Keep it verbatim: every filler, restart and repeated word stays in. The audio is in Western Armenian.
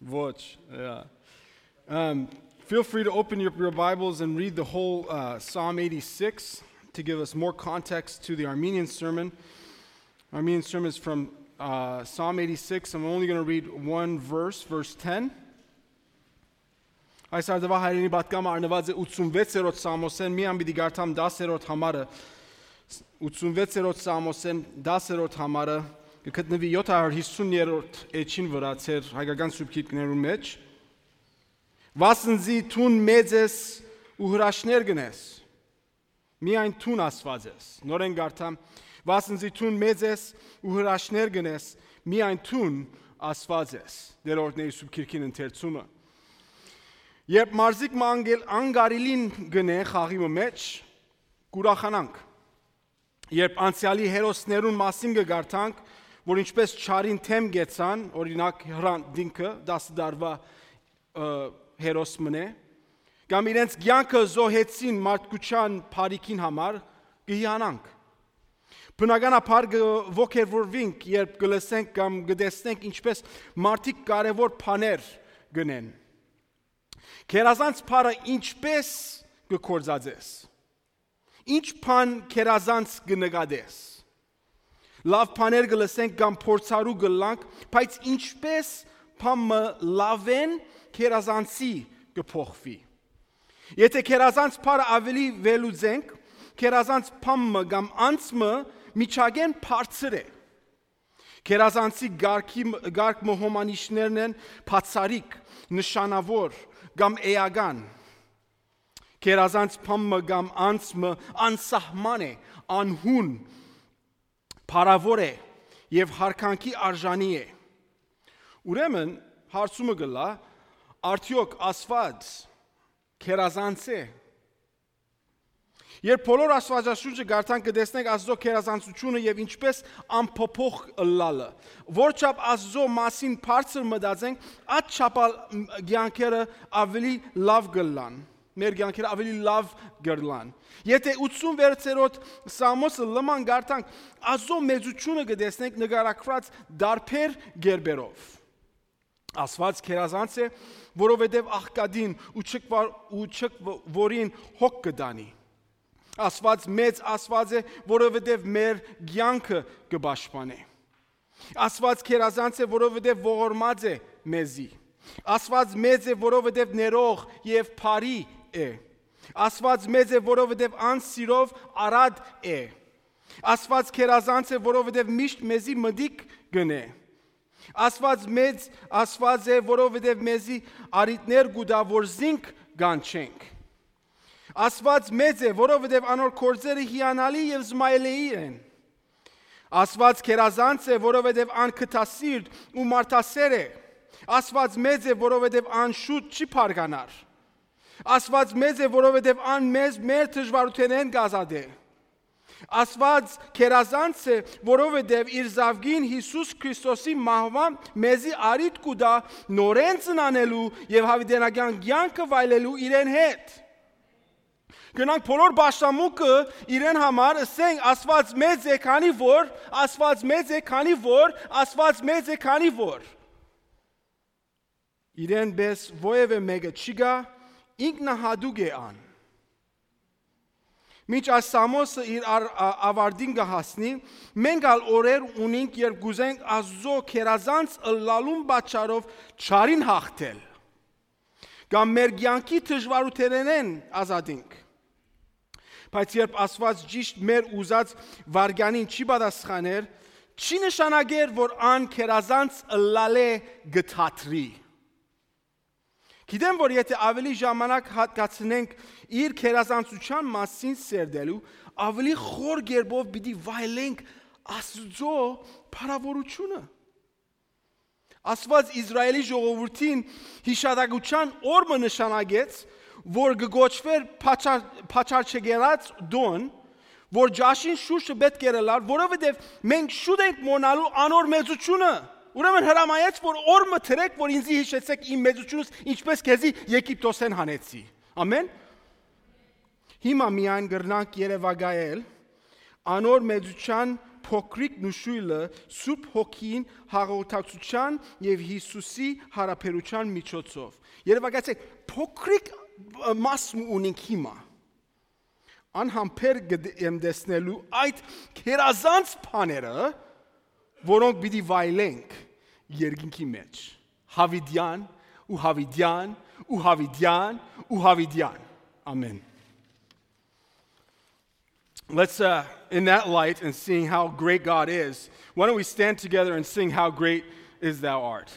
Watch. Yeah. Um, feel free to open your, your Bibles and read the whole uh, Psalm eighty-six to give us more context to the Armenian sermon. Armenian sermon is from uh, Psalm eighty-six. I'm only going to read one verse, verse ten. Այս արդուայ հայերէնի պատգամը առնուած է ութսունվեցերորդ Սամոսէն, միան պիտի կարդամ դասերորդ համարը։ Ութսունվեցերորդ Սամոսէն, դասերորդ համարը, կը գտնուի յոթ հարյուր յիսուներորդ էջին վրայ, ձեր հայկական սուրբ գիրքներուն մէջ։ Վասն զի դուն մեծ ես ու հրաշքներ կ'ընես։ Միայն դուն Աստուած ես։ Նորէն կարդամ. Վասն զի դուն մեծ ես ու հրաշքներ կ'ընես, միայն դուն Աստուած ես։ Տէր օրհնէ սուրբ գիրքին ընթերցումը։ Երբ մարզիկ մը անգել-, անկարիլին գնէ խաղի մը մէջ, կ'ուրախանանք։ Երբ անցեալի հերոսներուն մասին կը կարդանք, որ ինչպես չարին դէմ գեցան, օրինակ, Հրան Դինքը, տասը տարուայ, ը, հերոս մըն է, կամ իրենց կեանքը զոհեցին մարդկութեան բարիքին համար, կը հիանանք։ Բնականաբար կը ոգևորուինք, երբ կը լսենք կամ կը տեսնենք, ինչպես մարդիկ կարեւոր բաներ կ'ընեն։ Գերազանց բառը ինչպես կը գործածես։ Ինչ բան գերազանց կը նկատես։ Լաւ բաներ կը լսենք կամ փորձառու կ'ըլլանք, բայց ինչպես բան մը լաւէն գերազանցի կը փոխուի։ Եթե գերազանց բառը աւելի վերլուծենք, գերազանց բան մը կամ անձ մը միջագէն բարձր է։ Գերազանցի կարգի, կարգ մը հոմանիշներն են բացառիկ, նշանաւոր կամ էական։ Գերազանց բան մը կամ անձ մը անսահման է, անհուն, փառաւոր է եւ յարգանքի արժանի է։ Ուրեմն, հարցումը կ'ըլլայ, արդեօք Աստուած գերազանց է։ Երբ բոլոր Աստուածաշունչը կարդանք, կը տեսնենք Աստուծոյ գերազանցութիւնը եւ ինչպես անփոփոխ ըլլալը։ Որչափ Աստուծոյ մասին բարձր մտածենք, ատչափ ալ կեանքերը աւելի լաւ կ'ըլլան։ Մեր կեանքերը աւելի լաւ կ'ըլլան։ Եթե ութսունվեցերորդ Սամոսը լման կարդանք, Աստուծոյ մեծութիւնը կը տեսնենք նկարագրուած տարբեր կերպերով։ Աստուած գերազանց է, որովհետեւ աղքատին ու չքվա-, ու չքվորին հոգ կը տանի։ Աստուած մեծ Աստուած է, որովհետեւ մեր կեանքը կը պաշտպանէ։ Աստուած գերազանց է, որովհետեւ ողորմած է մեզի։ Աստուած մեծ է, որովհետեւ ներող եւ բարի է։ Աստուած մեծ է, որովհետեւ անսիրով արատ է։ Աստուած գերազանց է, որովհետեւ միշտ մեզի մտիկ կ'ընէ։ Աստուած մեծ Աստուած է, որովհետեւ մեզի առիթներ կու տայ, որ զինք կանչենք։ Աստուած մեծ է, որովհետեւ անոր գործերը հիանալի եւ զմայլեի են։ Աստուած գերազանց է, որովհետեւ ան քթասիրտ ու մարդասէր է։ Աստուած մեծ է, որովհետեւ ան շուտ չի փառկանար։ Աստուած մեծ է, որովհետեւ ան մեզ մեր դժուարութենէն կ'ազատէ։ Աստուած գերազանց է, որովհետեւ իր զաւկին Յիսուս Քրիստոսի մահուան մեզի առիթ կու տայ նորէն ծնանելու եւ յաւիտենական կեանքը վայելելու իրեն հետ։ Գնանք բոլոր պաշտամունքը իրեն համար ըսենք, Աստուած մեծ է, քանի որ, Աստուած մեծ է, քանի որ, Աստուած մեծ է, քանի որ։ Իրեն պէս որեւէ մէկը չի գայ, ինքնահատուկ է ան։ Մինչ այս Սամոսը իր ար-, ա-, ավարտին կը հասնի, մենք ալ օրեր ունինք, երբ կ'ուզենք Աստուծոյ գերազանց ըլլալուն պատճառով չարին հաղթել, կամ մեր կեանքի դժուարութենէն ազատինք։ Բայց երբ Աստուած ճիշդ մեր ուզած վայրկեանին չի պատասխաներ, չի նշանակեր, որ ան գերազանց ըլլալէ կը դադրի։ Գիտեմ, որ եթե աւելի ժամանակ հատկացնենք իր գերազանցութեան մասին սերտելու, աւելի խոր կերպով պիտի վայելենք Աստուծոյ փառաւորութիւնը։ Աստուած Իսրայէլի ժողովուրդին յիշատակութեան օր մը նշանակեց, որ կը կոչուէր Փաչար-, Փաչարչեգերած տօն, որ ճաշին շուրջը պէտք էր ըլլար, որովհետեւ մենք շուտ ենք մոռնալու անոր մեծութիւնը։ Ուրեմն հրամայեց, որ օր մը դրեք, որ ինձի յիշեցեք իմ մեծութիւնս, ինչպես քեզի Եգիպտոսէն հանեցի։ Ամեն։ Հիմա միայն կրնանք երեւակայել անոր մեծութեան փոքրիկ նշոյլը Սուրբ Հոգին հաղորդակցութեան եւ Յիսուսի յարաբերութեան միջոցով։ Երեւակայեցէք, փոքրիկ, ը, մաս մը ունենք հիմա։ Անհամբեր գ-, եմ տեսնելու այդ գերազանց բաները, որոնք պիտի վայելենք երկինքի մեջ, Յաւիտեան ու Յաւիտեան ու Յաւիտեան ու Յաւիտեան։ Ամեն։ Let's, uh, in that light and seeing how great God is, why don't we stand together and sing How Great Is Thou Art?